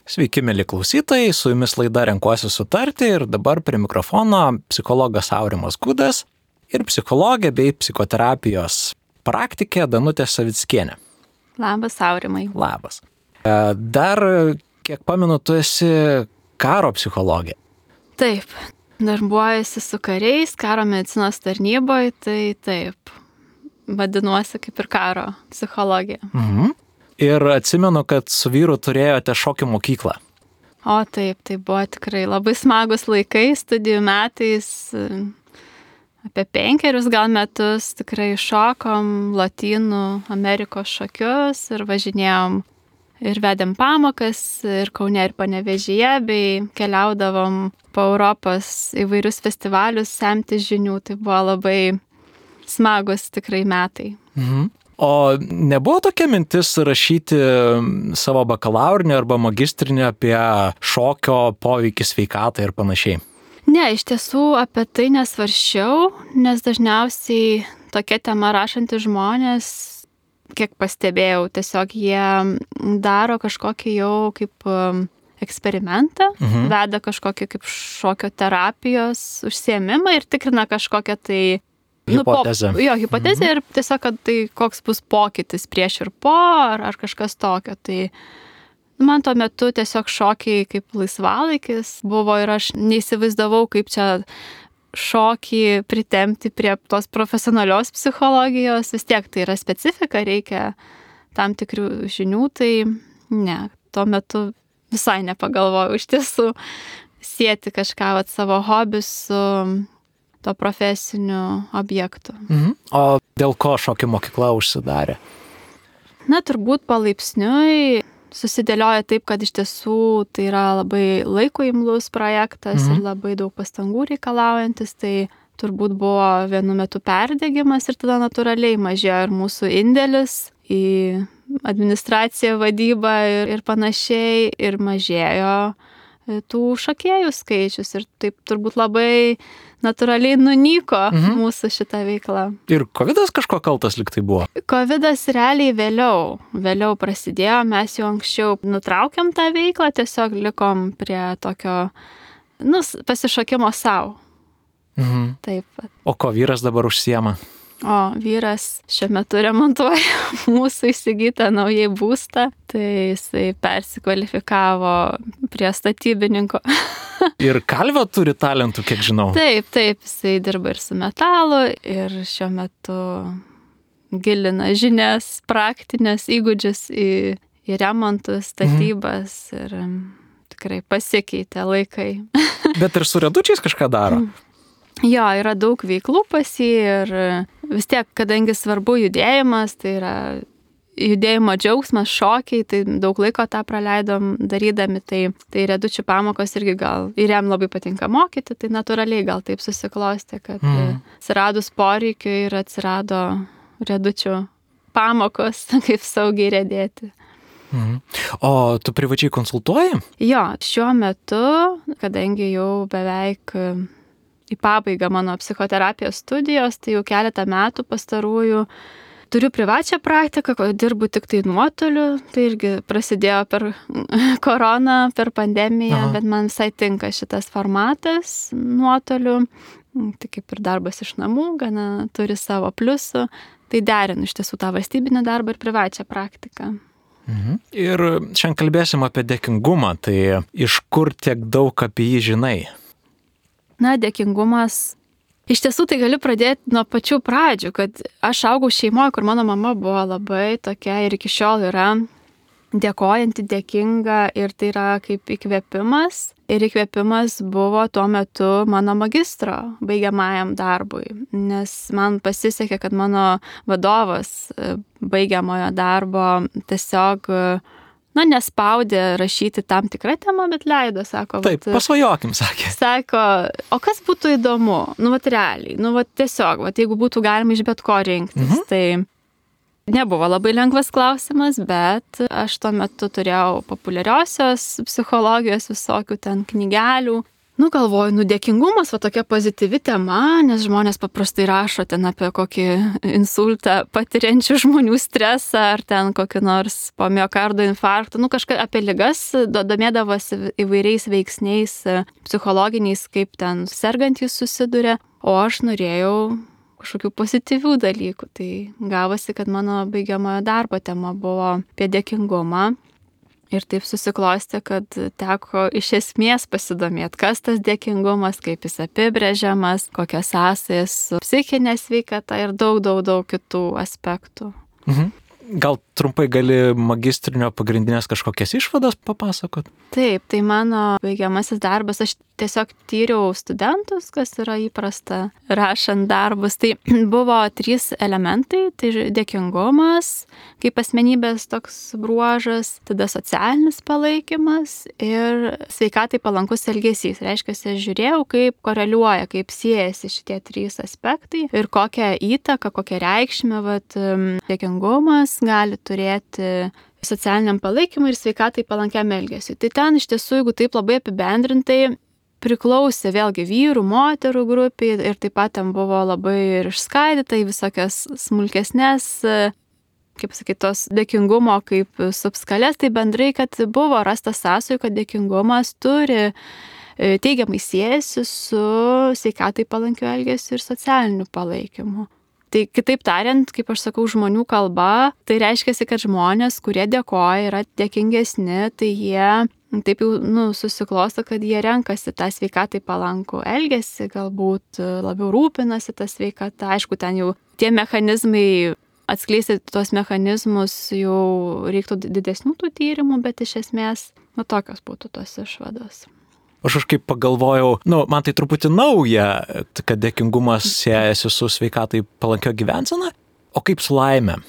Sveiki, mėly klausytojai, su jumis laida Renkuosi sutarti ir dabar prie mikrofono psichologas Aurimas Gudas ir psichologė bei psichoterapijos praktikė Danutė Savickienė. Labas, Aurimai. Labas. Dar, kiek pamenu, tu esi karo psichologė. Taip, darbuojasi su kariais, karo medicinos tarnyboje, tai taip, vadinuosi kaip ir karo psichologė. Ir atsimenu, kad su vyru turėjote šokių mokyklą. O taip, tai buvo tikrai labai smagus laikai, studijų metais, apie 5 gal metus tikrai šokom Lotynų Amerikos šokius ir važinėjom ir vedėm pamokas ir Kaune ir Panevėžyje, bei keliaudavom po Europos įvairius festivalius semti žinių, tai buvo labai smagus tikrai metai. O nebuvo tokia mintis rašyti savo bakalaurinį arba magistrinį apie šokio poveikį sveikatai ir panašiai? Ne, iš tiesų apie tai nesvaršiau, nes dažniausiai tokia tema rašantys žmonės, kiek pastebėjau, tiesiog jie daro kažkokį jau kaip eksperimentą, veda kažkokį kaip šokio terapijos užsiėmimą ir tikrina kažkokią tai hipotezę. Hipotezę ir tiesiog, kad tai koks bus pokytis prieš ir po, ar kažkas tokio. Tai man tuo metu tiesiog šokiai kaip laisvalaikis buvo ir aš neįsivaizdavau, kaip čia šokį pritempti prie tos profesionalios psichologijos. Vis tiek tai yra specifika, reikia tam tikrų žinių, tai ne, tuo metu visai nepagalvojau iš tiesų sieti kažką savo hobį su to profesiniu objektu. O dėl ko šokio mokykla užsidarė? Na, turbūt palaipsniui susidėlioja taip, kad iš tiesų tai yra labai laiko imlus projektas ir labai daug pastangų reikalaujantis, tai turbūt buvo vienu metu perdegimas ir tada natūraliai mažėjo ir mūsų indėlis į administraciją, vadybą ir panašiai, ir mažėjo tų šokėjų skaičius ir taip turbūt labai natūraliai nunyko mūsų šitą veiklą. Ir covidas kažko kaltas lyg tai buvo? Covidas realiai vėliau prasidėjo, mes jau anksčiau nutraukėm tą veiklą, tiesiog likom prie tokio, pasišokimo savo. Taip. O ko vyras dabar užsiema? O vyras šiuo metu remontuoja mūsų įsigytą naujai būstą, tai jisai persikvalifikavo prie statybininko. Ir kalvio turi talentų, kiek žinau. Taip, jisai dirba ir su metalu ir šiuo metu gilina žinias, praktinės įgūdžius į remontus, statybas ir tikrai pasikeitė laikai. Bet ir su redučiais kažką daro? Jo, yra daug veiklų pas jį ir vis tiek, kadangi svarbu judėjimas, tai yra judėjimo džiaugsmas, šokiai, tai daug laiko tą praleidom darydami, tai redučių pamokos irgi gal ir jam labai patinka mokyti, tai natūraliai gal taip susiklostė, kad atsiradus poreikiui ir atsirado redučių pamokos, kaip saugiai riedėti. O tu privačiai konsultuoji? Jo, šiuo metu, kadangi jau beveik į pabaigą mano psichoterapijos studijos, tai jau keletą metų pastarųjų turiu privačią praktiką, dirbu tik tai nuotoliu, tai irgi prasidėjo per koroną, per pandemiją, bet man visai tinka šitas formatas nuotoliu, tai kaip ir darbas iš namų, gana turi savo pliusų, tai derinu iš tiesų tą valstybinį darbą ir privačią praktiką. Ir šiandien kalbėsim apie dėkingumą, tai iš kur tiek daug apie jį žinai? Na, dėkingumas. Iš tiesų tai galiu pradėti nuo pačių pradžių, kad aš augau šeimoje, kur mano mama buvo labai tokia ir iki šiol yra dėkojanti, dėkinga ir tai yra kaip įkvėpimas. Ir įkvėpimas buvo tuo metu mano magistro baigiamajam darbui, nes man pasisekė, kad mano vadovas baigiamojo darbo tiesiog nespaudė rašyti tam tikrą temą, bet leido, sako. Taip, pasvajokim, sakė. Sako, o kas būtų įdomu? Realiai, tiesiog, jeigu būtų galima iš bet ko rinktis, tai nebuvo labai lengvas klausimas, bet aš tuo metu turėjau populiariosios psichologijos visokių ten knygelių, Galvoju, dėkingumas, tokia pozityvi tema, nes žmonės paprastai rašo ten apie kokį insultą patiriančių žmonių stresą, ar ten kokį nors po miokardo infarktą, kažką apie ligas, domėdavosi įvairiais veiksniais psichologiniais, kaip ten sergantys susiduria, o aš norėjau kažkokių pozityvių dalykų. Tai gavosi, kad mano baigiamojo darbo tema buvo apie dėkingumą. Ir taip susiklostė, kad teko iš esmės pasidomėti, kas tas dėkingumas, kaip jis apibrėžiamas, kokios sąsajas su psichinė sveikata ir daug kitų aspektų. Gal trumpai gali magistrinio pagrindinės kažkokias išvadas papasakot? Taip, tai mano baigiamasis darbas, aš tiesiog tyriau studentus, kas yra įprasta rašant darbus. Tai buvo 3 elementai, tai dėkingumas, kaip asmenybės toks bruožas, tada socialinis palaikymas ir sveikatai palankus elgesys. Reiškia, aš žiūrėjau, kaip koreliuoja, kaip siejasi šitie 3 aspektai ir kokią įtaką, kokią reikšmę dėkingumas gali turėti socialiniam palaikymui ir sveikatai palankiam elgesiui. Tai ten iš tiesų, jeigu taip labai apibendrintai, priklausė vėlgi vyrų, moterų grupiai ir taip pat ten buvo labai ir išskaidyta į visokias smulkesnės, kaip sakyti, tos dėkingumo kaip subskalės, tai bendrai, kad buvo rastas sąsajų, kad dėkingumas turi teigiamai siejasi su sveikatai palankiu elgesiu ir socialiniu palaikymu. Tai kitaip tariant, kaip aš sakau, žmonių kalba, tai reiškia, kad žmonės, kurie dėkoja, yra dėkingesni, tai jie taip jau susiklosto, kad jie renkasi tą sveikatai palankų elgesį, galbūt labiau rūpinasi tą sveikatą. Aišku, ten jau tie mechanizmai, atskleisti tuos mechanizmus jau reiktų didesnių tų tyrimų, bet iš esmės tokios būtų tos išvados. Aš kažkaip pagalvojau, man tai truputį nauja, kad dėkingumas siejasi su sveikatai palankio gyvensena, o kaip su laime?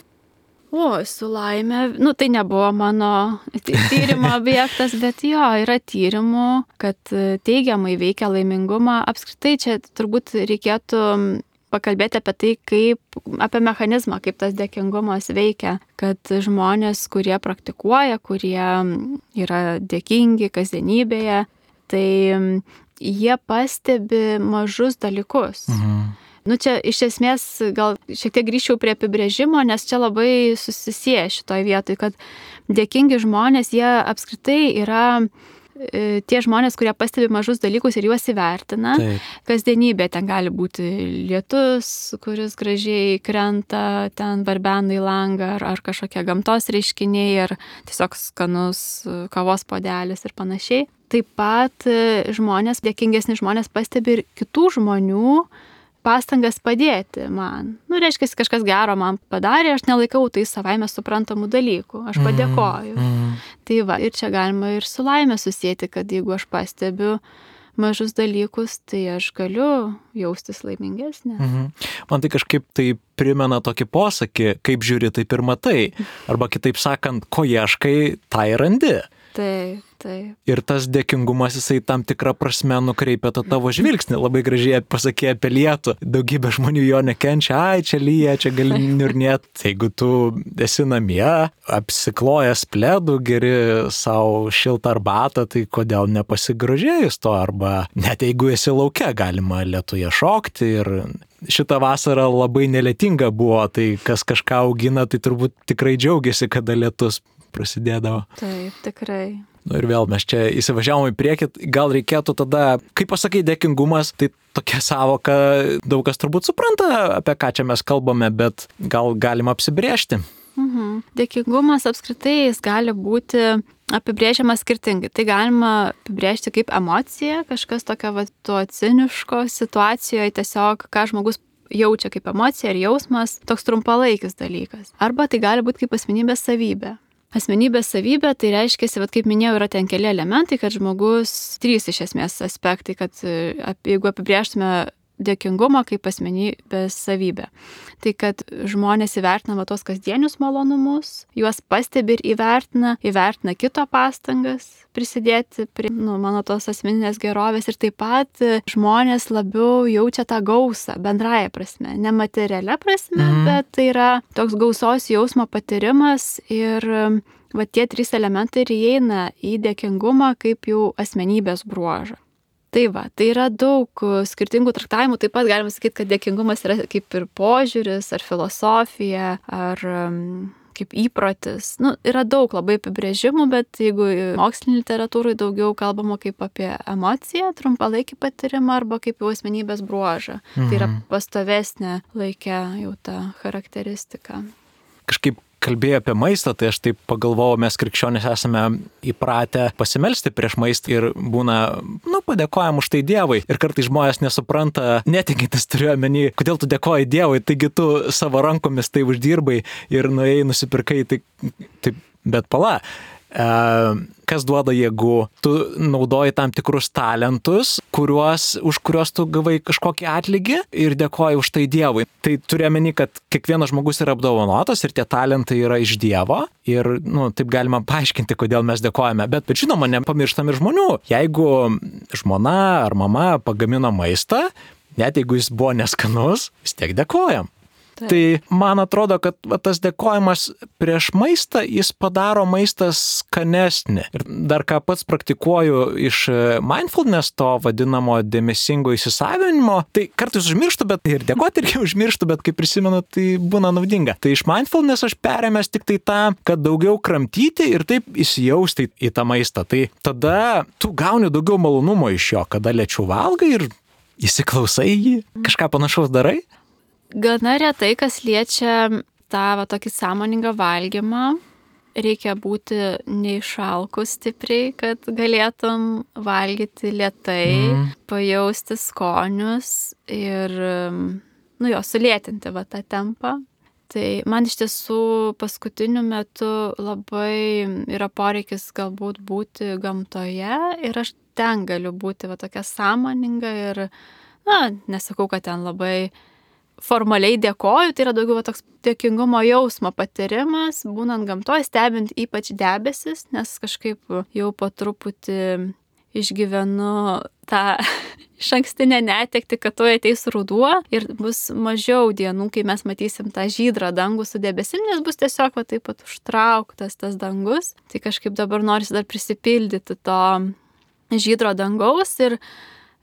Su laime, tai nebuvo mano tyrimo objektas, bet yra tyrimų, kad teigiamai veikia laimingumą. Apskritai čia turbūt reikėtų pakalbėti apie tai, apie mechanizmą, kaip tas dėkingumas veikia, kad žmonės, kurie praktikuoja, kurie yra dėkingi kasdienybėje, tai jie pastebi mažus dalykus. Čia iš esmės gal šiek tiek grįžčiau prie apibrėžimo, nes čia labai susisieja šitoj vietoj, kad dėkingi žmonės, jie apskritai yra tie žmonės, kurie pastebi mažus dalykus ir juos įvertina. Taip. Kasdienybė, ten gali būti lietus, kuris gražiai krenta, ten barbena į langą, ar kažkokie gamtos reiškiniai, ar tiesiog skanus kavos puodelis ir panašiai. Taip pat žmonės, dėkingesni žmonės pastebi ir kitų žmonių pastangas padėti man. Reiškia, kažkas gero man padarė, aš nelaikau tai savaime suprantamų dalykų, aš padėkoju. Tai ir čia galima ir su laime susėti, kad jeigu aš pastebiu mažus dalykus, tai aš galiu jaustis laimingesnė. Man tai kažkaip tai primena tokį posakį, kaip žiūri, taip ir matai. Arba kitaip sakant, ko ieškai, tai randi. Taip. Ir tas dėkingumas, jisai tam tikrą prasme nukreipia tą tavo žvilgsnį. Labai gražiai pasakė apie lietų. Daugybė žmonių jo nekenčia, čia lyja, čia gali niurnėti. Jeigu tu esi namie, apsiklojęs pledų, geri savo šiltą arbatą, tai kodėl nepasigrožėjus to? Arba net jeigu esi lauke, galima lietuje šokti. Ir šitą vasarą labai nelietinga buvo, tai kas kažką augina, tai turbūt tikrai džiaugiasi, kada lietus prasidėdavo. Taip, tikrai. Ir vėl mes čia įsivažiavom į priekį, gal reikėtų tada, kaip pasakai, dėkingumas, tai tokia savoka, daug kas turbūt supranta, apie ką čia mes kalbame, bet gal galima apsibrėžti. Dėkingumas apskritai jis gali būti apibrėžiamas skirtingai. Tai galima apibrėžti kaip emocija, kažkas tokio to ciniško situacijoje, tiesiog ką žmogus jaučia kaip emocija ir jausmas, toks trumpalaikis dalykas. Arba tai gali būti kaip asmenybės savybė. Asmenybės savybė, tai reiškia, kaip minėjau, yra ten keli elementai, kad žmogus 3 iš esmės aspektai, kad jeigu apibrėžtume dėkingumą kaip asmenybės savybę, tai kad žmonės įvertina tos kasdienius malonumus, juos pastebi ir įvertina kito pastangas prisidėti prie mano tos asmeninės gerovės ir taip pat žmonės labiau jaučia tą gausą bendraja prasme, ne materialia prasme, bet tai yra toks gausos jausmo patyrimas ir tie 3 elementai ir įeina į dėkingumą kaip jau asmenybės bruožą. Tai va, tai yra daug skirtingų traktavimų, taip pat galima sakyti, kad dėkingumas yra kaip ir požiūris, ar filosofija, ar kaip įprotis. Yra daug labai apibrėžimų, bet jeigu mokslinė literatūrai daugiau kalbama kaip apie emociją, trumpalaikį patyrimą arba kaip jau asmenybės bruožą. Tai yra pastovesnė laikė jau ta charakteristika. Kažkaip kalbėjo apie maistą, tai aš taip pagalvojau, mes krikščionys esame įpratę pasimelsti prieš maistą ir būna, padėkojam už tai Dievui. Ir kartais žmonės nesupranta, netikintis turiu omeny, kodėl tu dėkoji Dievui, taigi tu savo rankomis tai uždirbai ir nuėjai nusipirkai, tai bet pala. Kas duoda jėgų? Tu naudoji tam tikrus talentus, už kuriuos tu gavai kažkokį atlygį ir dėkoji už tai Dievui. Tai turiu omeny, kad kiekvienas žmogus yra apdovanotas ir tie talentai yra iš Dievo ir taip galima paaiškinti, kodėl mes dėkojame. Bet žinoma, nepamirštam ir žmonių. Jeigu žmona ar mama pagamino maistą, net jeigu jis buvo neskanus, vis tiek dėkojam. Tai man atrodo, kad tas dėkojimas prieš maistą, jis padaro maistą skanesnį. Ir dar ką pats praktikuoju iš mindfulness, to vadinamo dėmesingo įsisavinimo, tai kartais užmirštu, bet ir dėkoti irgi užmirštu, bet kai prisimenu, tai būna naudinga. Tai iš mindfulness aš perėmęs tik tai tą, kad daugiau kramtyti ir taip įsijausti į tą maistą. Tai tada tu gauni daugiau malonumo iš jo, kada lėčiau valgai ir įsiklausai jį, kažką panašaus darai. Gana retai, kas liečia tą tokį sąmoningą valgymą, reikia būti neišalkus stipriai, kad galėtum valgyti lėtai, pajausti skonius ir, jo sulėtinti tą tempą. Tai man iš tiesų paskutiniu metu labai yra poreikis galbūt būti gamtoje ir aš ten galiu būti tokia sąmoninga ir, nesakau, kad ten labai formaliai dėkoju, tai yra daugiau toks dėkingumo jausmo patyrimas, būnant gamtoje, stebint ypač debesis, nes kažkaip jau po truputį išgyvenu tą išankstinę netektį, kad tuoj ateis ruduo ir bus mažiau dienų, kai mes matysim tą žydrą dangų su debesim, nes bus tiesiog taip pat užtrauktas tas dangus. Tai kažkaip dabar norisi dar prisipildyti to žydro dangaus ir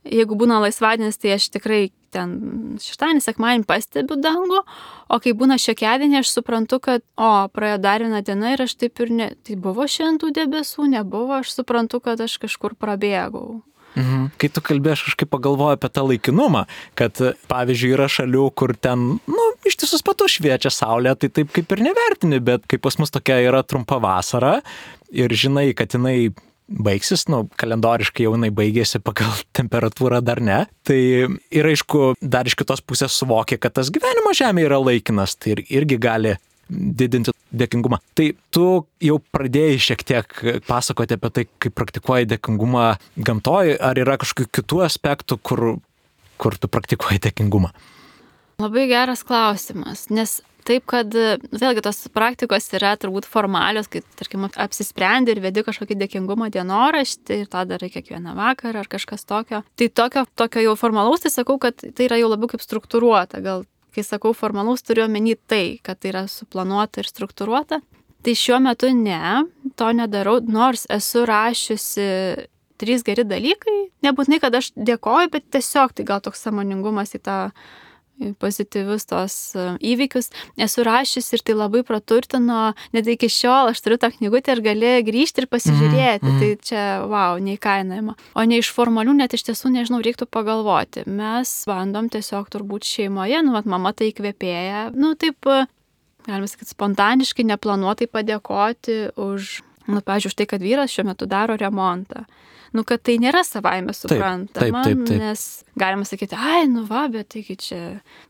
jeigu būna laisvadienis, tai aš tikrai ten šeštadienį, sekmadienį pastebiu dangų, o kai būna šiokiadienį, aš suprantu, kad praėjo dar viena diena ir aš taip ir tai buvo šiandien tų debesų, nebuvo, aš suprantu, kad aš kažkur prabėgau. Kai tu kalbėjai, aš kažkaip pagalvoju apie tą laikinumą, kad pavyzdžiui yra šalių, kur ten, ištisus patus šviečia saulė, tai taip kaip ir nevertini, bet kai pas mus tokia yra trumpa vasara ir žinai, kad jinai baigsis, kalendoriškai jau jinai baigėsi, pagal temperatūrą dar ne. Tai ir aišku, dar iš kitos pusės suvokia, kad tas gyvenimo žemė yra laikinas, tai irgi gali didinti dėkingumą. Tai tu jau pradėjai šiek tiek pasakoti apie tai, kaip praktikuoji dėkingumą gamtoje, ar yra kažkokių kitų aspektų, kur tu praktikuoji dėkingumą? Labai geras klausimas, nes taip, kad vėlgi tos praktikos yra turbūt formalios, kai, tarkim, apsisprendi ir vedi kažkokį dėkingumo dienoraštį ir tą darai kiekvieną vakarą ar kažkas tokio. Tai tokio jau formalaus, tai sakau, kad tai yra jau labiau kaip struktūruota. Gal, kai sakau formalaus, turiu omeny tai, kad tai yra suplanuota ir struktūruota. Tai šiuo metu to nedarau, nors esu rašiusi 3 geri dalykai. Nebūtinai, kad aš dėkoju, bet tiesiog tai gal toks sąmoningumas į tą pozityvius tos įvykius esu rašius ir tai labai praturtino, net iki šiol aš turiu tą knygutę ir gali grįžti ir pasižiūrėti, tai čia, neįkainojama. O ne iš formalių, net iš tiesų, nežinau, reiktų pagalvoti. Mes bandom tiesiog turbūt šeimoje, mama tai įkvėpėja, taip, galima sakyti, spontaniškai, neplanuotai padėkoti už, pavyzdžiui, už tai, kad vyras šiuo metu daro remontą. Kad tai nėra savaime suprantama, taip. Nes galima sakyti, bet taigi čia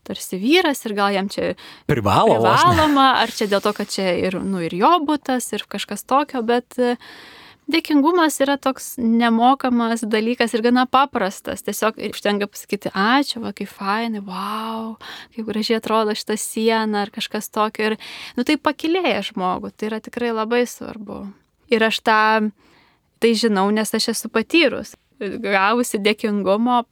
tarsi vyras ir gal jam čia privaloma, ar čia dėl to, kad čia ir jo butas ir kažkas tokio, bet dėkingumas yra toks nemokamas dalykas ir gana paprastas. Tiesiog užtenka pasakyti, ačiū, kaip fainai, kaip gražiai atrodo šita siena ar kažkas tokio. Ir tai pakilėja žmogų, tai yra tikrai labai svarbu. Ir aš tai žinau, nes aš esu patyrus. Gavusi dėkingumo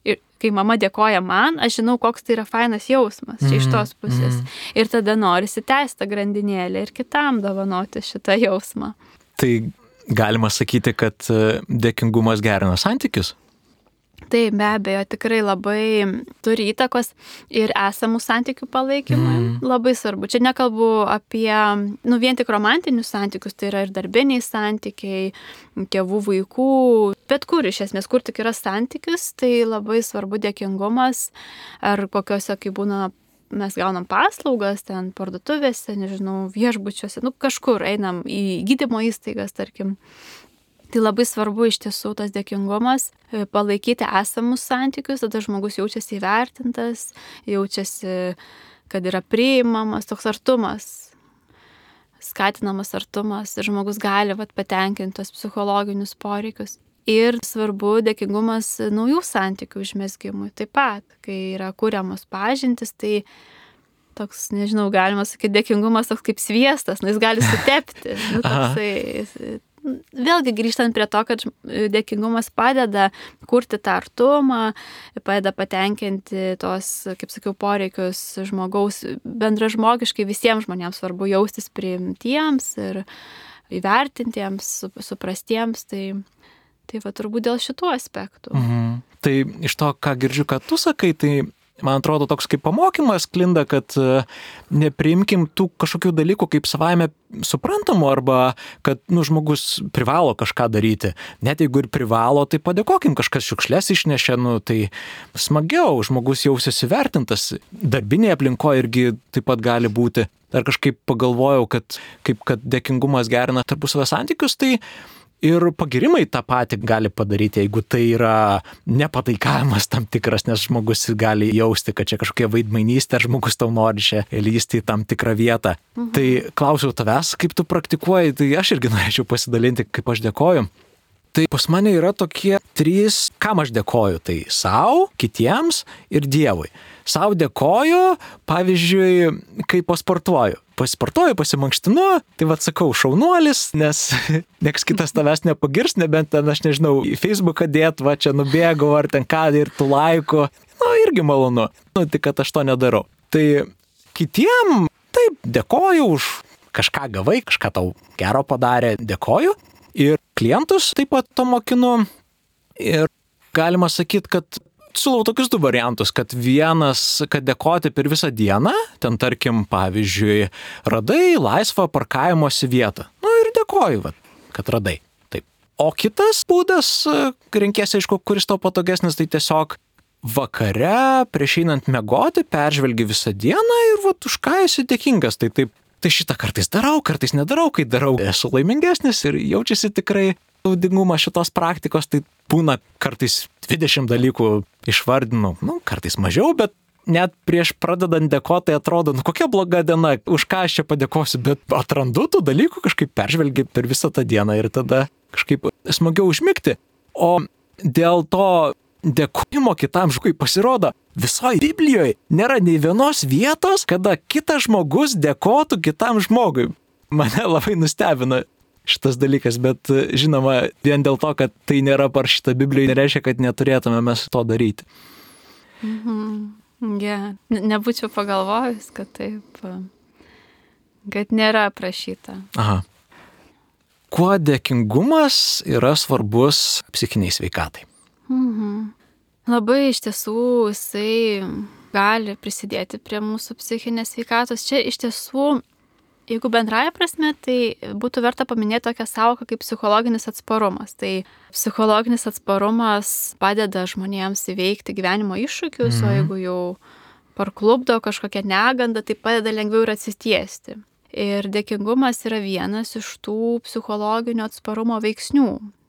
ir kai mama dėkoja man, aš žinau, koks tai yra fainas jausmas čia iš tos pusės. Ir tada norisi tęsti grandinėlę ir kitam dovanoti šitą jausmą. Tai galima sakyti, kad dėkingumas gerina santykius? Tai be abejo tikrai labai turi įtakos ir esamų santykių palaikymui. Labai svarbu. Čia nekalbu apie vien tik romantinius santykius, tai yra ir darbiniai santykiai, tėvų, vaikų, bet kur iš esmės, kur tik yra santykis, tai labai svarbu dėkingumas, ar kokiuose, kai būna, mes gaunam paslaugas, ten parduotuvėse, nežinau, viešbučiuose, kažkur einam į gydymo įstaigas, tarkim. Tai labai svarbu iš tiesų tas dėkingumas, palaikyti esamus santykius, tada žmogus jaučiasi įvertintas, jaučiasi, kad yra priimamas, toks artumas, skatinamas artumas ir žmogus gali patenkinti tos psichologinius poreikius. Ir svarbu dėkingumas naujų santykių užmezgimui taip pat, kai yra kuriamos pažintys, tai toks, nežinau, galima sakyti, dėkingumas toks kaip sviestas, jis gali sutepti. Vėlgi grįžtant prie to, kad dėkingumas padeda kurti tą artumą, padeda patenkinti tos, kaip sakiau, poreikius žmogaus bendražmogiškai, visiems žmonėms svarbu jaustis priimtiems ir įvertintiems, suprastiems, tai turbūt dėl šitų aspektų. Tai iš to, ką girdžiu, kad tu sakai, tai man atrodo toks kaip pamokymas klinda, kad nepriimkim tų kažkokių dalykų kaip savaime suprantamų arba kad žmogus privalo kažką daryti. Net jeigu ir privalo, tai padėkokim, kažkas šiukšles išnešė, tai smagiau, žmogus jausis įvertintas. Darbinėje aplinkoje irgi taip pat gali būti. Dar kažkaip pagalvojau, kad dėkingumas gerina tarpusavio santykius, tai ir pagirimai tą patį gali padaryti, jeigu tai yra nepataikavimas tam tikras, nes žmogus gali jausti, kad čia kažkokia vaidmainystė, žmogus tau nori čia lysti į tam tikrą vietą. Tai klausiau tavęs, kaip tu praktikuoji, tai aš irgi norėčiau pasidalinti, kaip aš dėkoju. Tai pas mane yra tokie 3, kam aš dėkoju. Tai sau, kitiems ir Dievui. Sau dėkoju, pavyzdžiui, kai pasportuoju. Pasisportuoju, pasimankštinu, tai sakau, šaunuolis, nes nieks kitas tavęs nepagirs, nebent ten, aš nežinau, į Facebooką dėt, čia nubėgau, ar ten ką, ir tų laikų. Irgi malonu. Tik kad aš to nedarau. Tai kitiem, taip, dėkoju už kažką gavai, kažką tau gero padarė, dėkoju. Ir klientus taip pat to mokinu. Ir galima sakyti, kad siūlau tokius 2 variantus, kad vienas, kad dėkoti per visą dieną, ten tarkim, pavyzdžiui, radai laisvą parkavimosi vietą. Ir dėkoju, kad radai. Taip. O kitas būdas, renkiesi, aišku, kuris tau patogesnis, tai tiesiog vakare, prieš einant miegoti, peržvelgi visą dieną ir už ką esi dėkingas. Tai šitą kartais darau, kartais nedarau, kai darau, esu laimingesnis ir jaučiasi tikrai naudingumas šitos praktikos, tai būna kartais 20 dalykų išvardinu, kartais mažiau, bet net prieš pradedant dėkoti atrodo, kokia bloga diena, už ką aš čia padėkosiu, bet atrandu tų dalykų, kažkaip peržvelgi per visą tą dieną ir tada kažkaip smagiau užmigti. O dėl to dėkojimo kitam žmogui pasirodo, visoje Biblijoje nėra nei vienos vietos, kada kitas žmogus dėkotų kitam žmogui. Mane labai nustebino šitas dalykas, bet žinoma, vien dėl to, kad tai nėra parašyta Biblijoje, nereiškia, kad neturėtume mes to daryti. Nebūčiau pagalvojus, kad taip, kad nėra aprašyta. Aha. Kuo dėkingumas yra svarbus psichiniai sveikatai? Labai iš tiesų jisai gali prisidėti prie mūsų psichinės sveikatos. Čia iš tiesų, jeigu bendraja prasme, tai būtų verta paminėti tokią sąvoką kaip psichologinis atsparumas. Tai psichologinis atsparumas padeda žmonėms įveikti gyvenimo iššūkius, o jeigu jau parklupdo kažkokią negandą, tai padeda lengviau ir atsitiesti. Ir dėkingumas yra vienas iš tų psichologinio atsparumo veiksnių.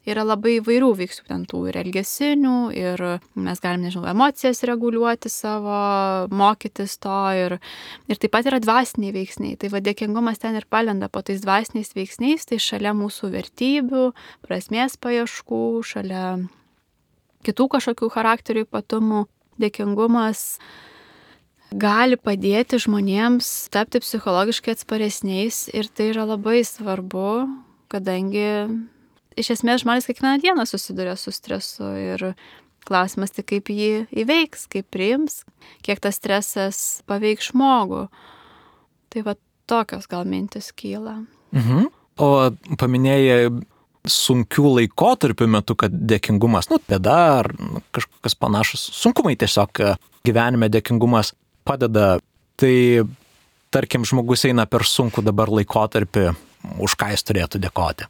Yra labai įvairių veiksmų, ten tų ir elgesinių, ir mes galim, nežinau, emocijas reguliuoti savo, mokytis to, ir taip pat yra dvasiniai veiksniai. Tai dėkingumas ten ir palenda po tais dvasiniais veiksniais, tai šalia mūsų vertybių, prasmės paieškų, šalia kitų kažkokių charakterių ypatumų, dėkingumas gali padėti žmonėms tapti psichologiškai atsparesniais, ir tai yra labai svarbu, kadangi iš esmės žmonės kiekvieną dieną susiduria su stresu, ir klausimas tik kaip jį įveiks, kaip priims, kiek tas stresas paveiks žmogų. Tai tokios gal mintis kyla. O paminėjai sunkių laikotarpių metu, kad dėkingumas, bėda ar kažkokios panašus sunkumai tiesiog gyvenime dėkingumas padeda. Tai tarkim, žmogus eina per sunkų dabar laikotarpį, už ką jis turėtų dėkoti.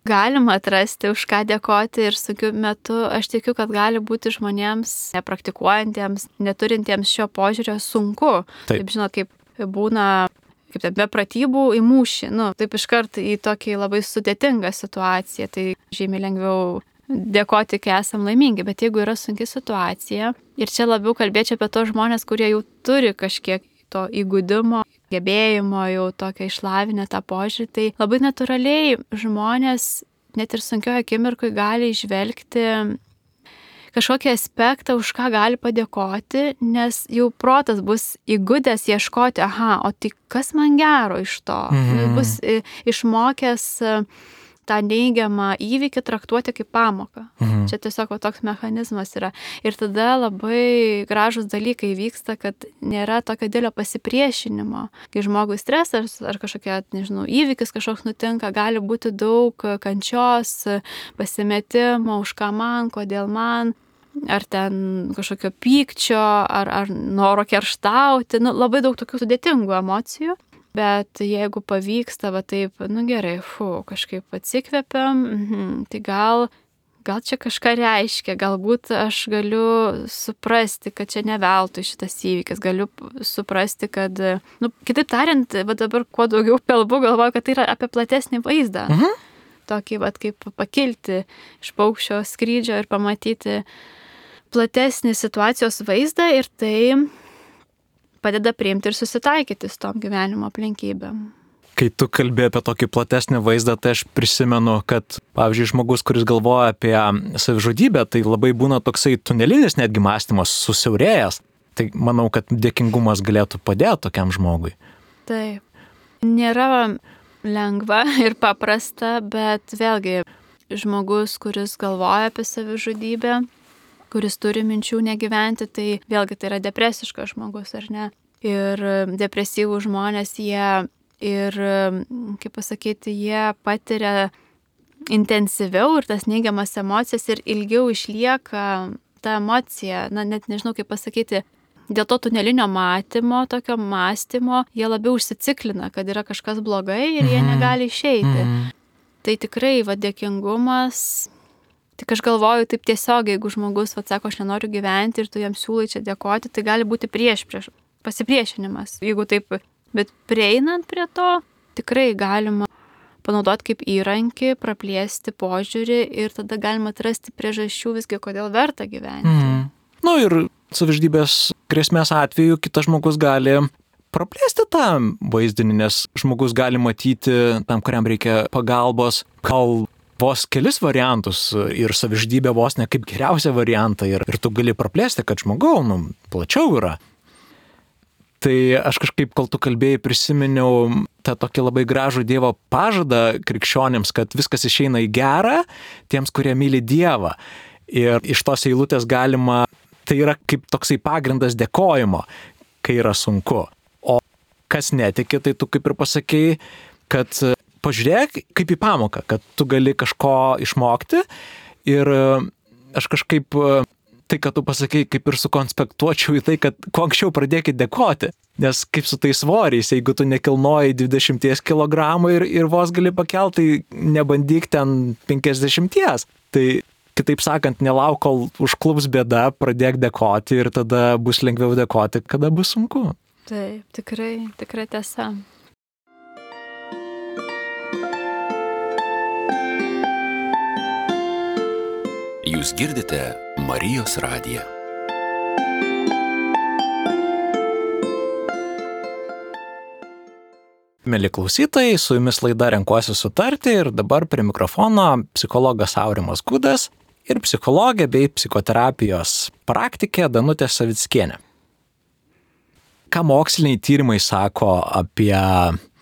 Galima atrasti, už ką dėkoti ir sunkiu metu. Aš tikiu, kad gali būti žmonėms, nepraktikuojantiems, neturintiems šio požiūrio sunku. Taip žinot, kaip būna, kaip be pratybų į mūšį, taip iškart į tokį labai sudėtingą situaciją. Tai žymiai lengviau dėkoti, kai esam laimingi, bet jeigu yra sunki situacija, ir čia labiau kalbėčiau apie tos žmonės, kurie jau turi kažkiek to įgudimo, gebėjimo, jau tokia išlavinę tą požiūrį, tai labai natūraliai žmonės net ir sunkioje akimirkoje gali išvelgti kažkokį aspektą, už ką gali padėkoti, nes jau protas bus įgudęs ieškoti, o tai kas man gero iš to? Bus išmokęs tą neigiamą įvykį traktuoti kaip pamoką. Čia tiesiog toks mechanizmas yra. Ir tada labai gražus dalykai vyksta, kad nėra tokio didelio pasipriešinimo. Kai žmogui stresas ar kažkokia, įvykis kažkoks nutinka, gali būti daug kančios, pasimetimo, už ką man, kodėl man, ar ten kažkokio pykčio, ar noro kerštauti, labai daug tokių sudėtingų emocijų. Bet jeigu pavyksta, taip, gerai, kažkaip atsikvepiam, tai gal čia kažką reiškia, galbūt aš galiu suprasti, kad čia ne veltui šitas įvykis, galiu suprasti, kad, kitaip tariant, dabar kuo daugiau kalbu, galvoju, kad tai yra apie platesnį vaizdą. Tokį, kaip pakilti iš paukščio skrydžio ir pamatyti platesnį situacijos vaizdą ir tai padeda priimti ir susitaikyti su tom gyvenimo aplinkybėm. Kai tu kalbėjai apie tokį platesnį vaizdą, tai aš prisimenu, kad, pavyzdžiui, žmogus, kuris galvoja apie savižudybę, tai labai būna toksai tunelinis netgi mąstymas susiaurėjęs. Tai manau, kad dėkingumas galėtų padėti tokiam žmogui. Taip. Nėra lengva ir paprasta, bet vėlgi žmogus, kuris galvoja apie savižudybę, kuris turi minčių negyventi, tai vėlgi tai yra depresiškas žmogus, ar ne? Ir depresyvų žmonės jie patiria intensyviau ir tas neigiamas emocijas ir ilgiau išlieka ta emocija, net nežinau kaip pasakyti, dėl to tunelinio matymo, tokio mąstymo, jie labiau užsiciklina, kad yra kažkas blogai ir jie negali išeiti. Tai tikrai dėkingumas. Tik aš galvoju taip tiesiog, jeigu žmogus sako, aš nenoriu gyventi ir tu jam siūlai čia dėkoti, tai gali būti pasipriešinimas. Jeigu taip, bet prieinant prie to, tikrai galima panaudoti kaip įrankį, praplėsti požiūrį ir tada galima atrasti priežasčių visgi, kodėl verta gyventi. Ir savižudybės grėsmės atveju kitas žmogus gali praplėsti tą vaizdinį, nes žmogus gali matyti tam, kuriam reikia pagalbos, gal vos kelis variantus ir savižudybė vos ne kaip geriausią variantą ir tu gali praplėsti, kad žmogau, plačiau yra. Tai aš kažkaip, kol tu kalbėjai, prisiminiau tą tokį labai gražų Dievo pažadą krikščionims, kad viskas išeina į gerą tiems, kurie myli Dievą. Ir iš tos eilutės galima, tai yra kaip toksai pagrindas dėkojimo, kai yra sunku. O kas netiki, tai tu kaip ir pasakei, kad pažiūrėk kaip į pamoką, kad tu gali kažko išmokti ir aš kažkaip tai, kad tu pasakei, kaip ir sukonspektuočiau į tai, kad kuo anksčiau pradėkit dėkoti, nes kaip su tais svoriais, jeigu tu nekilnoji 20 kg ir vos gali pakelti, tai nebandyk ten 50. Tai kitaip sakant, nelauk, kol užklups bėda, pradėk dėkoti ir tada bus lengviau dėkoti, kada bus sunku. Taip, tikrai tiesa. Jūs girdite Marijos radiją. Mieli klausytojai, su jumis laida Renkuosi sutarti ir dabar prie mikrofono psichologas Aurimas Gudas ir psichologė bei psichoterapijos praktikė Danutė Savickienė. Ką moksliniai tyrimai sako apie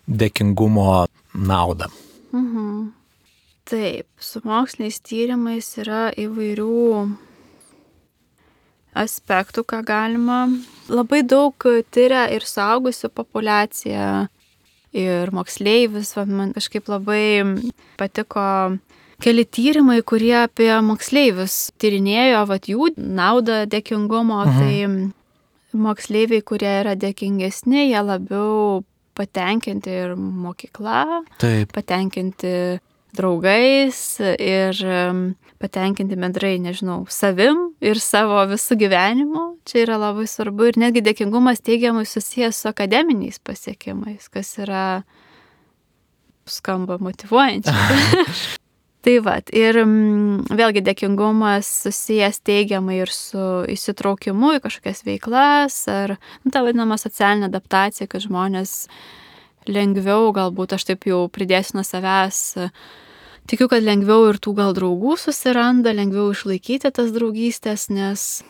dėkingumo naudą? Taip, su moksliniais tyrimais yra įvairių aspektų, ką galima. Labai daug tyria ir suaugusių populiacija, ir moksleivius. Man kažkaip labai patiko keli tyrimai, kurie apie moksleivius tyrinėjo jų naudą dėkingumo. Tai moksleiviai, kurie yra dėkingesni, jie labiau patenkinti ir mokykla, Taip. patenkinti draugais ir patenkinti bendrai, savim ir savo visų gyvenimu. Čia yra labai svarbu ir netgi dėkingumas teigiamai susijęs su akademiniais pasiekimais, kas yra skamba motyvuojančiai. Tai ir vėlgi dėkingumas susijęs teigiamai ir su įsitraukimu į kažkokias veiklas ar ta vadinama socialinė adaptacija, kad žmonės lengviau, galbūt aš taip jau pridėsiu nuo savęs, tikiu, kad lengviau ir tų gal draugų susiranda, lengviau išlaikyti tas draugystės, nes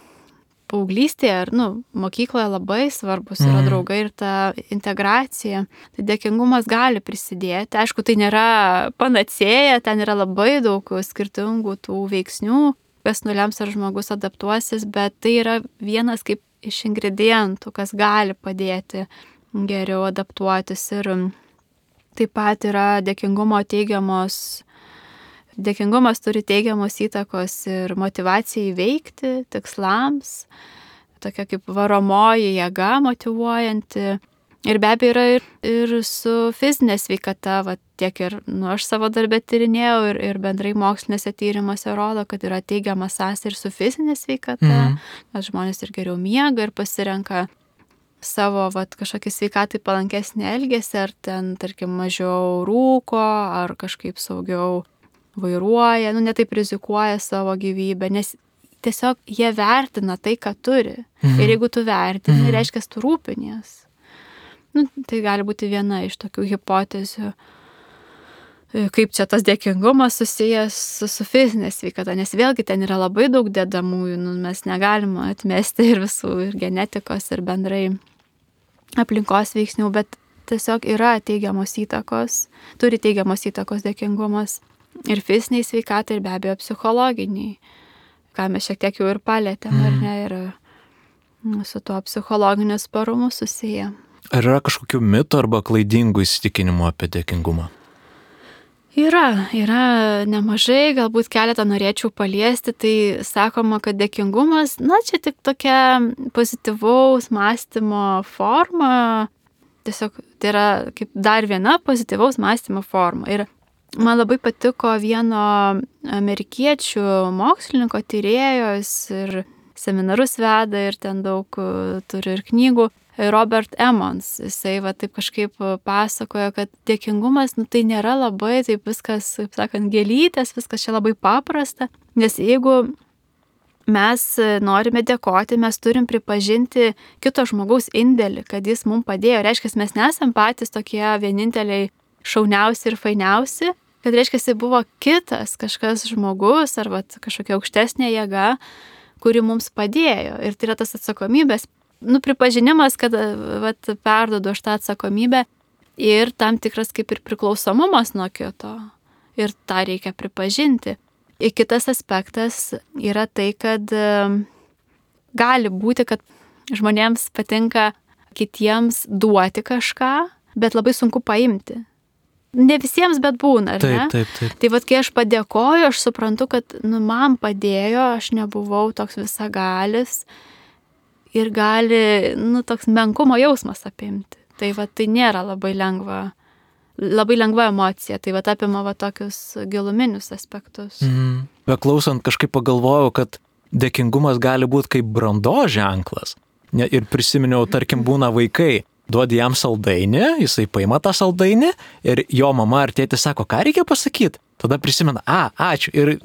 paauglystėje ar mokykloje labai svarbus yra draugai ir ta integracija. Tai dėkingumas gali prisidėti. Aišku, tai nėra panacėja, ten yra labai daug skirtingų tų veiksnių, kas nulems ar žmogus adaptuosis, bet tai yra vienas kaip iš ingredientų, kas gali padėti geriau adaptuotis. Ir taip pat yra Dėkingumas turi teigiamos įtakos ir motyvacijai veikti, tikslams, tokia kaip varomoji jėga motyvuojanti. Ir be abejo yra ir su fizinė sveikata, tiek ir aš savo darbę tyrinėjau ir bendrai mokslinėse tyrimuose rodo, kad yra teigiama sąsaja ir su fizinė sveikata, kad žmonės ir geriau miega ir pasirenka savo kažkokį sveikatai palankesnį elgesį, ar ten, tarkim, mažiau rūko, ar kažkaip saugiau vairuoja, netaip rizikuoja savo gyvybę, nes tiesiog jie vertina tai, ką turi. Ir jeigu tu vertini, reiškia, tu rūpinies. Tai gali būti viena iš tokių hipotezių, kaip čia tas dėkingumas susijęs su fizinė sveikata, nes vėlgi ten yra labai daug dedamųjų, mes negalime atmesti ir visų, ir genetikos, ir bendrai aplinkos veiksnių, bet tiesiog yra teigiamos įtakos, turi teigiamos įtakos dėkingumas. Ir fiziniai sveikatai, ir be abejo psichologiniai, ką mes šiek tiek jau ir palėtėm, ar ne, ir su tuo psichologiniu sparumu susiję. Ar yra kažkokių mitų arba klaidingų įsitikinimų apie dėkingumą? Yra nemažai, galbūt keletą norėčiau paliesti. Tai sakoma, kad dėkingumas, čia tik tokia pozityvaus mąstymo forma, tiesiog tai yra kaip dar viena pozityvaus mąstymo forma. Ir man labai patiko vieno amerikiečių mokslininko, tyrėjos ir seminarus veda ir ten daug turi ir knygų, Robert Emmons. Jisai taip kažkaip pasakojo, kad dėkingumas, tai nėra labai taip viskas, kaip sakant, gėlytės, viskas čia labai paprasta, nes jeigu mes norime dėkoti, mes turim pripažinti kito žmogaus indėlį, kad jis mums padėjo. Reiškia, mes nesam patys tokie vieninteliai šauniausi ir fainiausi, kad reiškia, buvo kitas kažkas žmogus ar kažkokia aukštesnė jėga, kuri mums padėjo. Ir tai yra tas atsakomybės, pripažinimas, kad perduodu aš tą atsakomybę ir tam tikras kaip ir priklausomumas nuo kito. Ir tą reikia pripažinti. Ir kitas aspektas yra tai, kad gali būti, kad žmonėms patinka kitiems duoti kažką, bet labai sunku paimti. Ne visiems, bet būna, ar ne? Taip. Tai kai aš padėkoju, aš suprantu, kad man padėjo, aš nebuvau toks visagalis ir gali, toks menkumo jausmas apimti. Tai tai nėra labai lengva emocija, tai apima tokius giluminius aspektus. Beklausant kažkaip pagalvojau, kad dėkingumas gali būti kaip brandos ženklas. Ir prisiminiau, tarkim, būna vaikai, duodi jam saldainį, jisai paima tą saldainį ir jo mama ar tėtis sako, ką reikia pasakyti. Tada prisimena, ačiū ir,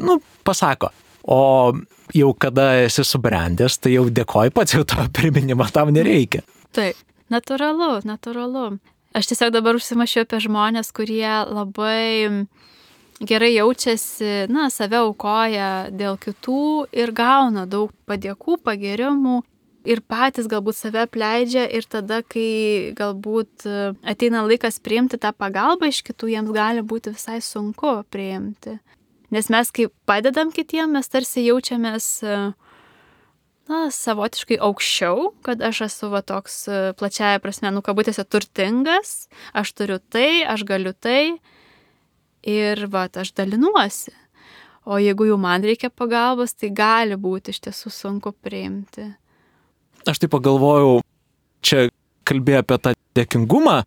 pasako. O jau kada esi subrendęs, tai jau dėkoji pats, jau to priminimo tam nereikia. Taip, natūralu. Aš tiesiog dabar užsimašiau apie žmonės, kurie labai gerai jaučiasi, save aukoja dėl kitų ir gauna daug padėkų, pagirimų. Ir patys galbūt save apleidžia ir tada, kai galbūt ateina laikas priimti tą pagalbą iš kitų, jiems gali būti visai sunku priimti. Nes mes, kai padedam kitiem, mes tarsi jaučiamės savotiškai aukščiau, kad aš esu toks plačiaja prasme, kabutėse turtingas, aš turiu tai, aš galiu tai ir aš dalinuosi. O jeigu jau man reikia pagalbos, tai gali būti iš tiesų sunku priimti. Aš tai pagalvojau, čia kalbėjau apie tą dėkingumą,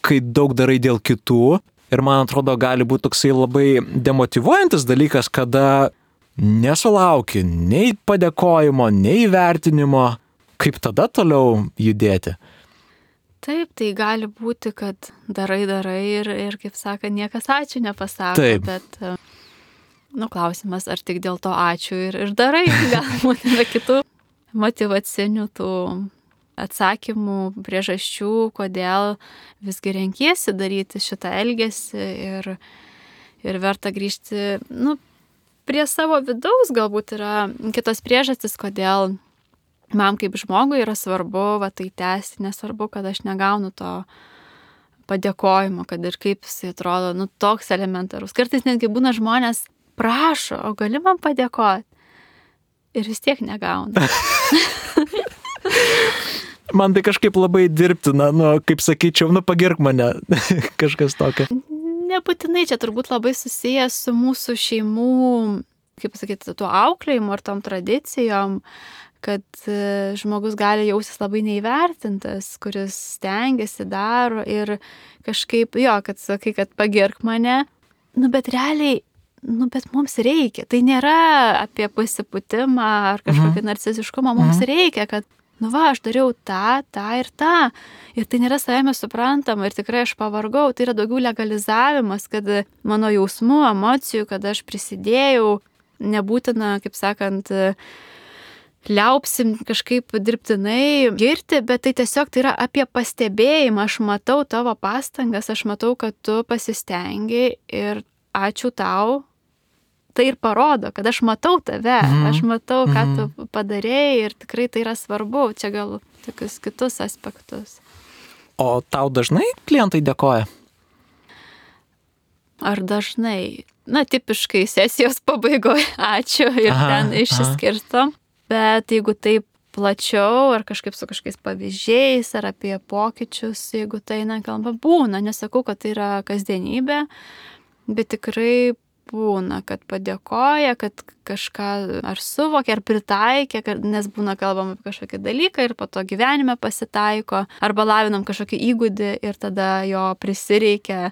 kai daug darai dėl kitų ir man atrodo gali būti toksai labai demotyvuojantis dalykas, kada nesulauki nei padėkojimo, nei įvertinimo, kaip tada toliau judėti. Taip, tai gali būti, kad darai ir kaip sako, niekas ačiū nepasako. Taip. Bet klausimas, ar tik dėl to ačiū ir darai, galbūt yra kitų motyvacinių tų atsakymų, priežasčių, kodėl visgi renkiesi daryti šitą elgesį ir verta grįžti, prie savo vidaus galbūt yra kitos priežastys, kodėl man kaip žmogui yra svarbu tai tęsti, nesvarbu, kad aš negaunu to padėkojimo, kad ir kaip jis atrodo, toks elementarus. Kartais netgi būna žmonės prašo, o gali man padėkoti ir vis tiek negauna. Man tai kažkaip labai dirbtina, kaip sakyčiau, pagirk mane, kažkas tokio. Nebūtinai čia turbūt labai susijęs su mūsų šeimų, kaip pasakyti, tuo auklėjimu ar tom tradicijom, kad žmogus gali jaustis labai neįvertintas, kuris stengiasi, daro ir kažkaip, kad sakai, kad pagirk mane, bet realiai, bet mums reikia. Tai nėra apie pasipūtimą ar kažkokį narcisiškumą, mums reikia, kad aš dariau tą ir tą. Ir tai nėra savime suprantama ir tikrai aš pavargau. Tai yra daugiau legalizavimas, kad mano jausmų, emocijų, kad aš prisidėjau, nebūtina, kaip sakant, liaupsim kažkaip dirbtinai girti, bet tai tiesiog tai yra apie pastebėjimą. Aš matau tavo pastangas, aš matau, kad tu pasistengi ir ačiū tau. Tai ir parodo, kad aš matau tave, aš matau, ką tu padarėjai ir tikrai tai yra svarbu. Čia gal tokius kitus aspektus. O tau dažnai klientai dėkoja? Ar dažnai? Tipiškai sesijos pabaigoje ačiū ir ten išsiskirstom. Bet jeigu taip plačiau, ar kažkaip su kažkokiais pavyzdžiais, ar apie pokyčius, jeigu tai kalba, būna. Nesakau, kad tai yra kasdienybė, bet tikrai būna, kad padėkoja, kad kažką ar suvokia, ar pritaikė, nes būna kalbama apie kažkokį dalyką ir po to gyvenime pasitaiko, arba lavinam kažkokį įgūdį ir tada jo prisireikia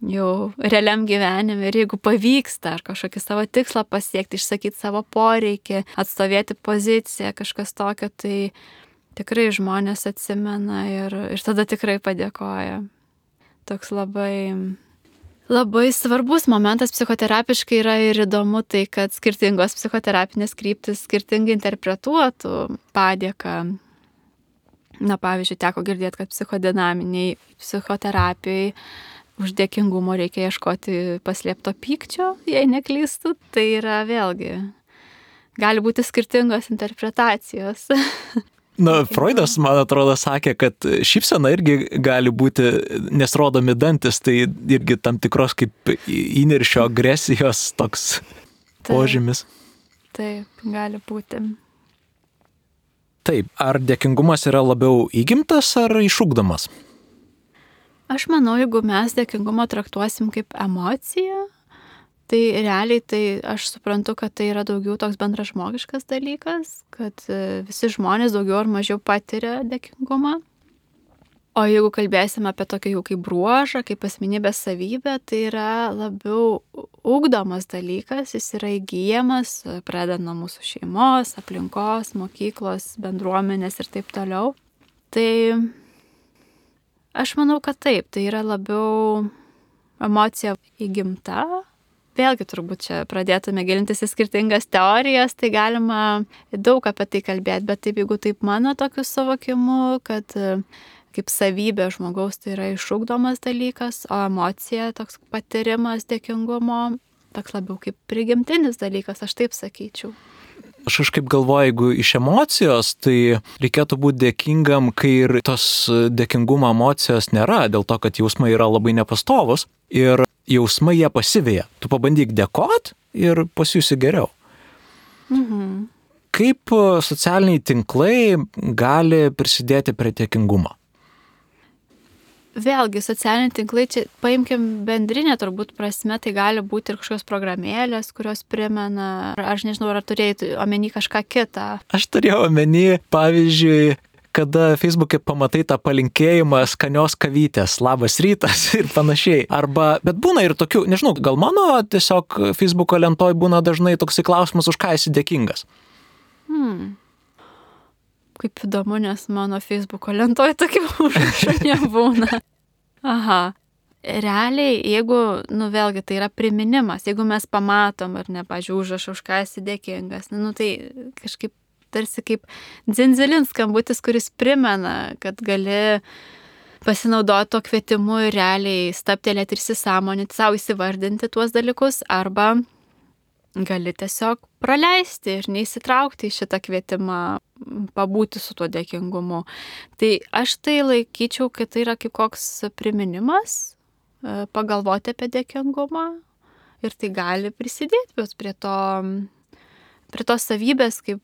jau realiam gyvenime ir jeigu pavyksta ar kažkokį savo tikslą pasiekti, išsakyti savo poreikį, atstovėti poziciją, kažkas tokio, tai tikrai žmonės atsimena ir tada tikrai padėkoja. Toks labai svarbus momentas psichoterapiškai yra ir įdomu tai, kad skirtingos psichoterapinės kryptis skirtingai interpretuotų padėką. Pavyzdžiui, teko girdėti, kad psichodinaminiai psichoterapijai už dėkingumo reikia ieškoti paslėpto pykčio, jei neklystu. Tai yra vėlgi, gali būti skirtingos interpretacijos. Freudas, man atrodo, sakė, kad šypsena irgi gali būti, nes rodomi dantis, tai irgi tam tikros kaip įniršio agresijos toks požymis. Taip, gali būti. Taip, ar dėkingumas yra labiau įgimtas ar išugdomas? Aš manau, jeigu mes dėkingumą traktuosim kaip emociją, tai realiai aš suprantu, kad tai yra daugiau toks bendražmogiškas dalykas, kad visi žmonės daugiau ar mažiau patiria dėkingumą. O jeigu kalbėsim apie tokį jau kaip bruožą, kaip asmenybės savybę, tai yra labiau ugdomas dalykas, jis yra įgyjamas, pradedant nuo mūsų šeimos, aplinkos, mokyklos, bendruomenės ir taip toliau. Tai aš manau, kad taip, tai yra labiau emocija įgimta. Vėlgi turbūt čia pradėtume gilintis į skirtingas teorijas, tai galima daug apie tai kalbėti, bet taip, jeigu taip mano tokiu suvokimu, kad kaip savybė žmogaus tai yra išugdomas dalykas, o emocija, toks patyrimas dėkingumo, toks labiau kaip prigimtinis dalykas, aš taip sakyčiau. Aš kažkaip galvoju, jeigu iš emocijos, tai reikėtų būti dėkingam, kai ir tos dėkingumo emocijos nėra, dėl to, kad jausmai yra labai nepastovus ir jausmai jie pasiveja. Tu pabandyk dėkot ir pasijusi geriau. kaip socialiniai tinklai gali prisidėti prie dėkingumo? Vėlgi, socialiniai tinklai, čia paimkim bendrinę turbūt prasme, tai gali būti ir kažkokios programėlės, kurios primena, aš nežinau, ar turėjai omeny kažką kitą. Aš turėjau omeny, pavyzdžiui, kada Facebook'e pamatai tą palinkėjimą skanios kavytės, labas rytas ir panašiai. Arba, bet būna ir tokių, nežinau, gal mano tiesiog Facebook'o lentoj būna dažnai toksai klausimas, už ką esi dėkingas. Kaip įdomu, nes mano Facebook'o lentoj tokių užrašų nebūna. Aha. Realiai, jeigu, vėlgi, tai yra priminimas, jeigu mes pamatom ar ne, pavyzdžiui, užrašą, už ką esi dėkingas, tai kažkaip tarsi kaip dzindzilin skambutis, kuris primena, kad gali pasinaudoti to kvietimu ir realiai stabtelėti ir įsisąmoninti, savo įsivardinti tuos dalykus, arba gali tiesiog praleisti ir neįsitraukti į šitą kvietimą, pabūti su tuo dėkingumu. Tai aš tai laikyčiau, kad tai yra kaip koks priminimas, pagalvoti apie dėkingumą ir tai gali prisidėti prie tos savybės kaip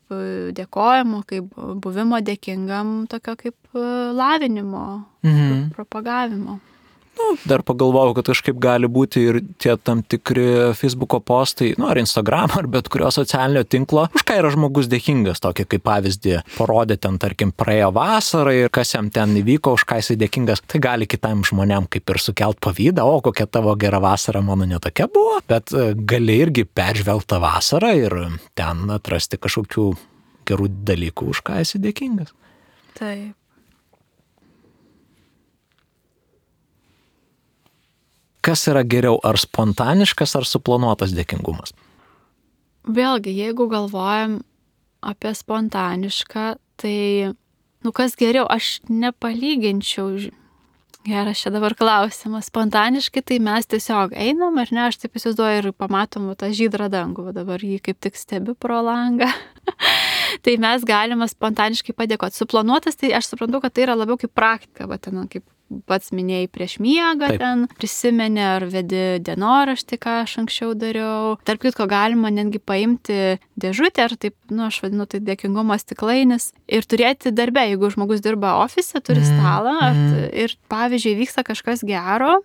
dėkojimo, kaip buvimo dėkingam, tokio kaip lavinimo, propagavimo. Dar pagalvojau, kad kažkaip gali būti ir tie tam tikri Facebook'o postai, ar Instagram, ar bet kurio socialinio tinklo, už ką yra žmogus dėkingas, tokį kaip pavyzdį parodė ten, tarkim, praėjo vasarą ir kas jam ten įvyko, už ką jisai dėkingas, tai gali kitam žmonėm kaip ir sukelt pavydą, o kokia tavo gera vasara, mano netokia buvo, bet gali irgi peržvelgti tą vasarą ir ten atrasti kažkokių gerų dalykų, už ką esi dėkingas. Taip. Kas yra geriau, ar spontaniškas, ar suplanuotas dėkingumas? Vėlgi, jeigu galvojam apie spontanišką, tai, kas geriau, aš nepalyginčiau. Geras čia dabar klausimas. Spontaniškai tai mes tiesiog einam, ar ne, aš taip įsivaizduoju ir pamatom tą žydrą dangų, dabar jį kaip tik stebiu pro langą. Tai mes galime spontaniškai padėkoti. Suplanuotas, tai aš suprantu, kad tai yra labiau kaip praktika, ten kaip pats minėjai prieš miegą, ten prisimeni ar vedi dienoraštį, ką aš anksčiau dariau. Tarp kitko galima netgi paimti dėžutę, ar taip, aš vadinu tai dėkingumo stiklainis, ir turėti darbe, jeigu žmogus dirba ofise, turi stalą, ir pavyzdžiui vyksta kažkas gero,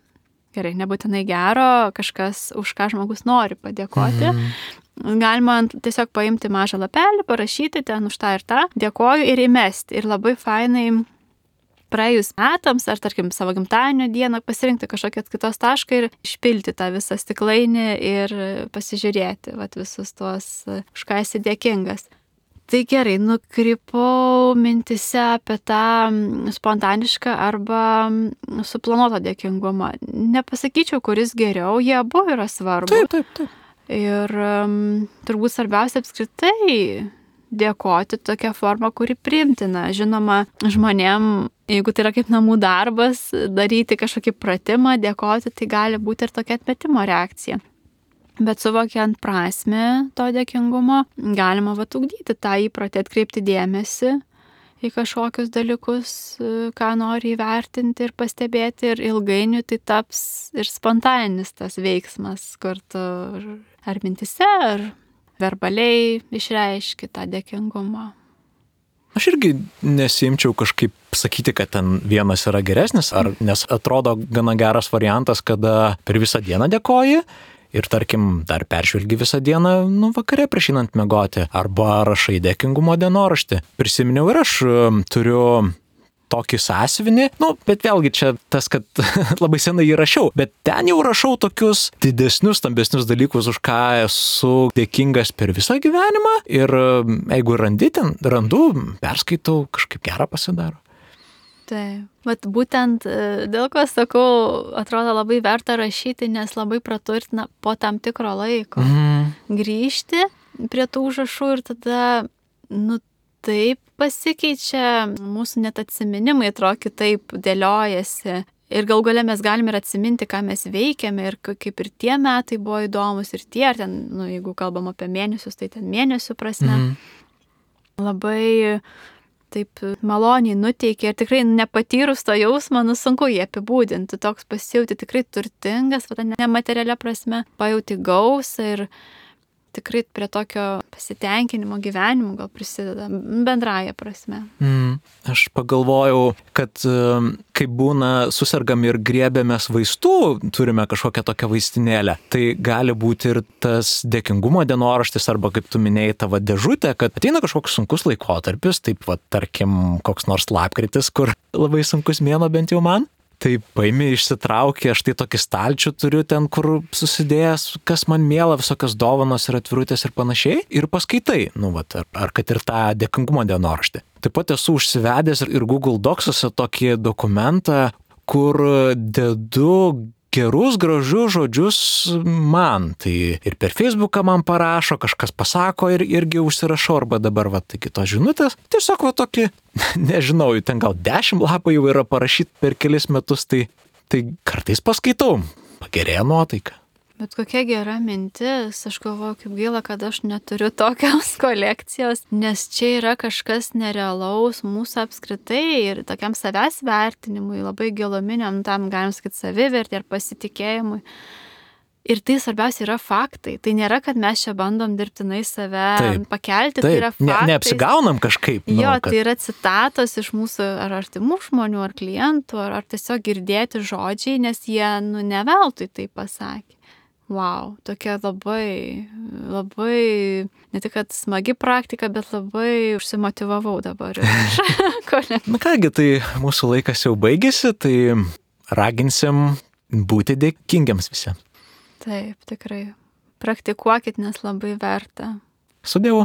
gerai, nebūtinai gero, kažkas, už ką žmogus nori padėkoti. Galima tiesiog paimti mažą lapelį, parašyti ten už tą ir tą, dėkoju ir įmesti. Ir labai fainai praėjus metams, ar tarkim savo gimtadienio dieną, pasirinkti kažkokią kitos tašką ir išpilti tą visą stiklainį ir pasižiūrėti visus tuos, už ką esi dėkingas. Tai gerai, nukrypau mintise apie tą spontanišką arba suplanuotą dėkingumą. Nepasakyčiau, kuris geriau, jie abu yra svarbu. Taip. Ir turbūt svarbiausia apskritai dėkoti tokią formą, kuri priimtina. Žinoma, žmonėm, jeigu tai yra kaip namų darbas, daryti kažkokį pratimą, dėkoti, tai gali būti ir tokia atmetimo reakcija. Bet suvokiant prasmę to dėkingumo, galima ugdyti tą įprotį, atkreipti dėmesį į kažkokius dalykus, ką nori įvertinti ir pastebėti, ir ilgainiui tai taps ir spontaninis tas veiksmas, kur tu ar mintise, ar verbaliai išreiški tą dėkingumą. Aš irgi nesimčiau kažkaip sakyti, kad ten vienas yra geresnis, nes atrodo gana geras variantas, kada per visą dieną dėkoji ir tarkim dar peržvelgi visą dieną, vakare prieš einant miegoti, arba rašai dėkingumo dienoraštį. Prisiminiau ir aš turiu tokį sąsiuvinį, bet vėlgi čia tas, kad labai senai jį rašiau, bet ten jau rašau tokius didesnius, stambesnius dalykus, už ką esu dėkingas per visą gyvenimą, ir jeigu randu, perskaitau, kažkaip gerą pasidaro. Taip, bet būtent dėl ko sakau, atrodo labai verta rašyti, nes labai praturtina po tam tikro laiko grįžti prie tų užrašų ir tada, taip pasikeičia mūsų net atsiminimai, atrodo kitaip dėliojasi. Ir gal gale mes galime ir atsiminti, ką mes veikiame, ir kaip ir tie metai buvo įdomus, ir tie, ar ten, jeigu kalbam apie mėnesius, tai ten mėnesių prasme. Labai taip maloniai nuteikia, ir tikrai nepatyrus to jausmo, sunku jį apibūdinti, toks pasijauti tikrai turtingas, nematerialia prasme, pajauti gausą ir tikrai prie tokio pasitenkinimo gyvenimu gal prisideda bendraja prasme. Aš pagalvojau, kad kai būna susirgam ir griebėmės vaistų, turime kažkokią tokią vaistinėlę, tai gali būti ir tas dėkingumo dienoraštis arba, kaip tu minėjai, tavo dėžutė, kad ateina kažkoks sunkus laikotarpis, taip va, tarkim, koks nors lapkritis, kur labai sunkus mėnuo bent jau man. Tai paimi, išsitraukė, aš tai tokį stalčių turiu ten, kur susidėjęs, kas man miela, visokios dovanos ir atvirutės ir panašiai, ir paskaitai, ar kad ir tą dėkingumo dienoraštį. Taip pat esu užsivedęs ir Google Docsuose tokį dokumentą, kur dedu gerus, gražius žodžius man. Tai ir per Facebooką man parašo, kažkas pasako ir irgi užsirašau, arba dabar kitos žinutės. Tiesiog tokį, nežinau, ten gal 10 lapų jau yra parašyti per kelis metus, tai kartais paskaitau, pagerėja nuotaika. Bet kokia gera mintis, aš galvoju, kaip gaila, kad aš neturiu tokios kolekcijos, nes čia yra kažkas nerealaus mūsų apskritai ir tokiam savęs vertinimui, labai giluminiam, tam galim sakyti savivertė ir pasitikėjimui. Ir tai svarbiausia yra faktai. Tai nėra, kad mes čia bandom dirbtinai save pakelti, tai yra faktai. Neapsigaunam kažkaip. Tai yra citatos iš mūsų ar artimų žmonių, ar klientų, ar tiesiog girdėti žodžiai, nes jie neveltui tai pasakė. Wow, tokia labai, ne tik kad smagi praktika, bet labai užsimotyvavau dabar. Na kągi, tai mūsų laikas jau baigėsi, tai raginsim būti dėkingiams visi. Taip, tikrai. Praktikuokit, nes labai verta. Su Dievu.